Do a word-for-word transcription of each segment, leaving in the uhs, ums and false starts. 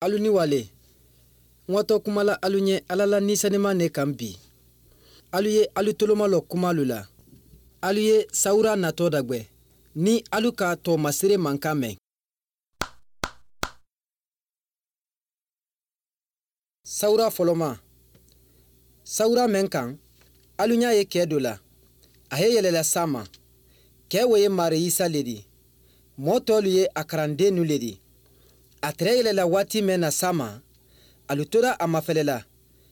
Alu ni wale. Ŋwatɔ kuma la alu ɲɛ ala la ni saniman ne kan bi. Alu ye alu toloma lɔ kuma alu la. Alu ye sawura natɔ dagbe ni alu ka tɔ masere mankan mɛn. Sawura fɔlɔma. Sawura mɛn kan alu ɲa ye kɛ do la. A ye yɛlɛla sama. Kɛ wo ye mari isa le di. Mɔɔ tɔlu ye a karandennu le di. A tere yɛlɛla waati mɛn na sama. Alu tora a mafɛlɛla.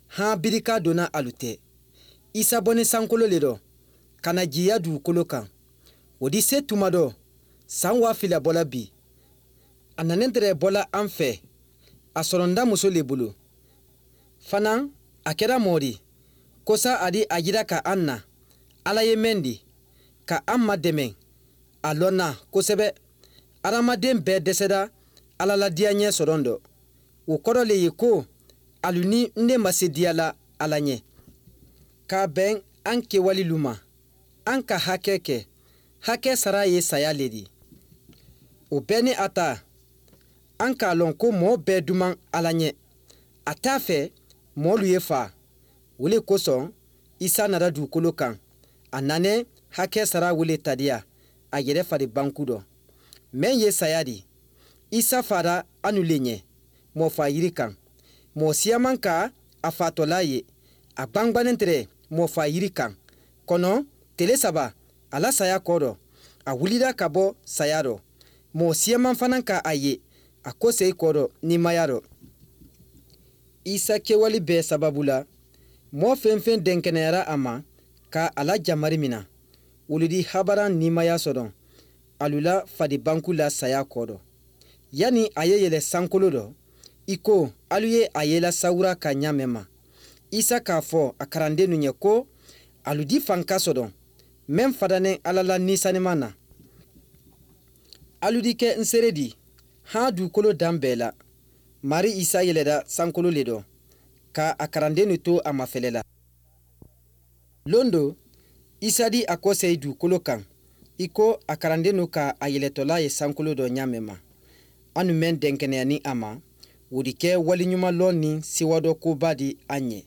Haa birika donna alu tɛ. Isa bɔni sankolo le dɔ. Ka na jiya duukolo kan. Wo di se tuma dɔ. San waa fila bɔla bi. A nanen tere bɔla an fɛ. A sɔrɔnda muso le bolo. Fanaŋ a kɛra mɔɔ di. Kosa a di a yira ka an na. Ala ye mɛn di. Ka an ma dɛmɛ. A lɔnna kosɛbɛ. Adamaden bɛɛ dɛsɛra. Ala la diyaɲɛ sɔrɔn dɔ. O kɔrɔ le ye ko alu ni n de ma se diya la ala ɲɛ. K'a bɛn an kewali lu ma. An ka hakɛ kɛ. Hakɛ sara ye saya le di. O bɛɛ ni a ta. An k'a lɔn ko mɔɔ bɛɛ duman ala ɲɛ. A t'a fɛ mɔɔlu ye faa. Wo le kosɔn isa nara duukolo kan. A nanɛ hakɛ sara wo le tadiya. A yɛrɛ fari banku dɔ. Mɛn ye saya di. Isa fara anu le ɲɛ. Mɔɔ fa yiri kan. Mɔɔ siyaman ka a fatɔla ye. A gbangbannen tere mɔɔ fa yiri kan. Kɔnɔ tele saba a la saya kɔ dɔ. A wulira ka bɔ saya dɔ. Mɔɔ siyaman fana ka a ye. A kosei kɔ dɔ nimaya dɔ. Isa kewali bɛɛ sababu la. Mɔɔ fɛnfɛn dɛnkɛnɛyara a ma ka a la jamari mina. Wolu di habaran nimaya sɔdɔn. Alu la fadi banku la saya kɔ dɔ. Yani a ye yɛlɛ sankolo dɔ. I ko alu ye a yela sawura ka ɲamɛ ma. Isa k'a fɔ a karandennu ɲɛ ko alu di fanka sɔdɔn. Mɛn fadanɛ ala la ni saniman na. Alu di kɛ n sere di. Haa duukolo dan bɛɛ la. Mari isa yɛlɛda sankolo le dɔ. Ka a karandennu to a mafɛlɛ la. Londo isa di a kosei duukolo kan. I ko a karandennu ka a yɛlɛtɔla ye sankolo dɔ ɲamɛ ma. Anu mɛn dɛnkɛnɛya ni a ma. Wo di kɛ waliɲuman lɔ ni siwa dɔ koba di a ɲɛ.